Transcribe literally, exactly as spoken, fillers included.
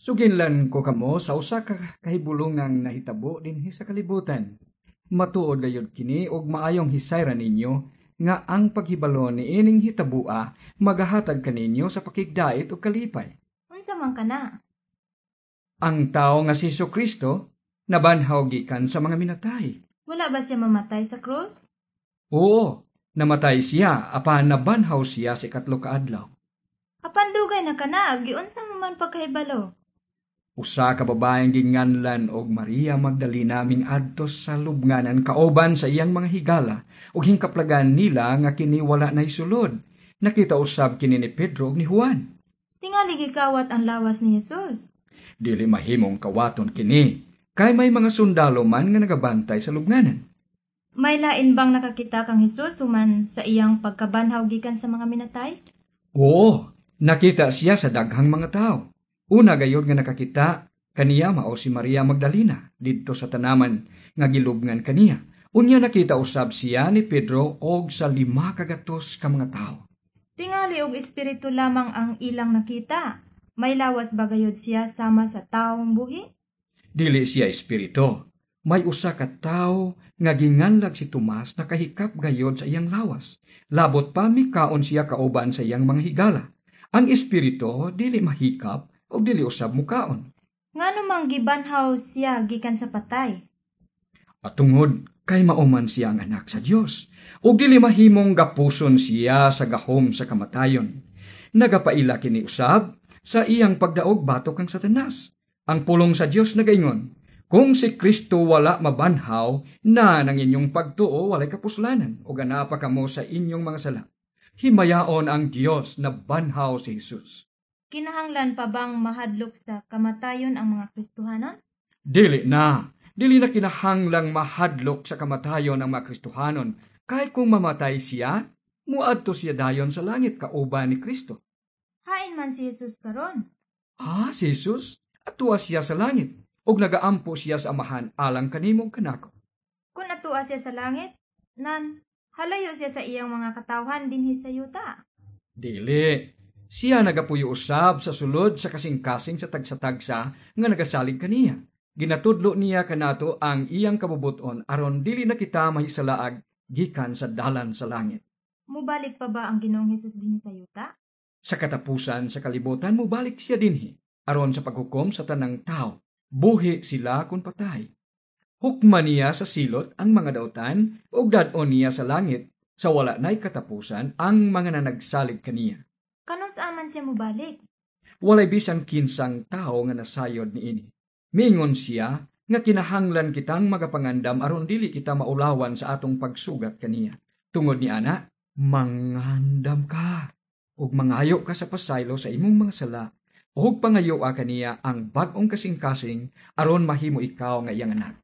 Suginlan ko kamo sa usa ka kahibulongang nahitabo dinhi sa kalibutan. Matuod gayud kini ug maayong hisayra ninyo nga ang paghibalo niining hitabua magahatag kaninyo sa pakigdait ug kalipay. Unsa man kana? Ang tawo nga si Hesukristo nabanhaw gikan sa mga minatay. Wala ba siya mamatay sa krus? Oo, namatay siya apan nabanhaw siya sa ikatlo ka adlaw. Apan dugay na kana, giunsa mo man pagkahibalo? Usa ka babaeng ginganlan og Maria Magdalena mingadto sa lubnganan kauban sa iyang mga higala ug hingkaplagan nila nga kini wala nay sulod. Nakita usab kini ni Pedro ug ni Juan. Tingali gikawat ang lawas ni Jesus. Dili mahimong kawaton kini kay may mga sundalo man nga nagabantay sa lubnganan. May lain bang nakakita kang Jesus human sa iyang pagkabanhaw gikan sa mga minatay? Oo, nakita siya sa daghang mga tao. Una gayod nga nakakita kaniya mao si Maria Magdalena didto sa tanaman nga gilubngan kaniya. Unya nakita usab siya ni Pedro og sa lima ka gatos ka mga tawo. Tingali og espiritu lamang ang ilang nakita. May lawas ba gayod siya sama sa taong buhi? Dili siya espiritu. May usa ka tawo nga ginganlag si Tomas nakahikap gayod sa iyang lawas. Labot pa mikaon siya kauban sa iyang mga higala. Ang espiritu dili mahikap ug dili usab mukaon. Ngano mang gibanhaw siya gikan sa patay? Atungod kay mao man siya ang anak sa Dios ug dili mahimong gapuson siya sa gahom sa kamatayon. Nagapaila kini usab sa iyang pagdaog batok kang Satanas. Ang pulong sa Dios nagaingon, kung si Kristo wala mabanhaw, na nang inyong pagtuo walay kapuslanan ug anaa pa kamo sa inyong mga sala. Himayaon ang Dios na banhaw si Jesus. Kinahanglan pa bang mahadlok sa kamatayon ang mga Kristohanon? Dili na. Dili na kinahanglang mahadlok sa kamatayon ang mga Kristohanon. Kay kung mamatay siya, muadto siya dayon sa langit kauban ni Kristo. Hain man si Jesus karon. Ah, si Jesus, atua siya sa langit, ug nagaampo siya sa Amahan alang kanimo ug kanako. Kung atua siya sa langit, nan halayo siya sa iyang mga katawhan dinhi sa yuta. Dili. Siya nagapuyo usab sa sulod sa kasing-kasing sa tagsa-tagsa nga nagasalig kaniya. Ginatudlo niya kanato ang iyang kabubuton aron dili na kita mahisalaag gikan sa dalan sa langit. Mubalik pa ba ang Ginoong Hesus dinhi sa yuta? Sa katapusan sa kalibutan mubalik siya dinhi aron sa paghukom sa tanang tao. Buhi sila kun patay. Hukman niya sa silot ang mga dautan ug dad-on niya sa langit sa wala na'y katapusan ang mga nanagsalig kaniya. Kanus-a man siya mubalik? Walay bisan kinsang tao nga nasayod niini. Miingon siya nga kinahanglan kitang magapangandam aron dili kita maulawan sa atong pagsugat kaniya. Tungod ni ana, mangandam ka ug mangayo ka sa pasaylo sa imong mga sala ug pangayoa kaniya ang bag-ong kasing-kasing aron mahimo ikaw nga iyang anak.